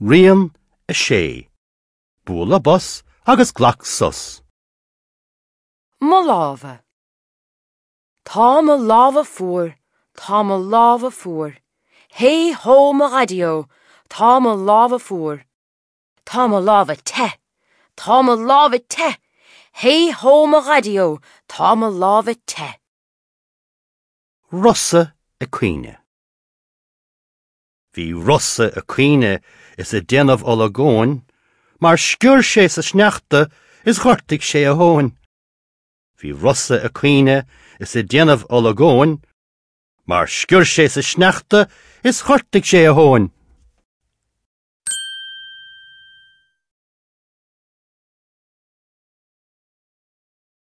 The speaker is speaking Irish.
Rian 6, Bualadh bos agus glac sos. Mo lámha. Tá mo lámha fuar, tá mo lámha fuar. Hé hó mo dhaidí-ó, tá mo lámha fuar. Tá mo lámha te, tá mo lámha te. Hé hó mo dhaidí-ó, tá mo lámha te. Rosa ag caoineadh. Bhí Rosa ag caoineadh is ag déanamh olagóin mar sciorr sé sa sneachta is ghortaigh sé a thóin. Bhí Rosa ag caoineadh is ag déanamh olagóin mar sciorr sé sa sneachta is ghortaigh sé a thóin.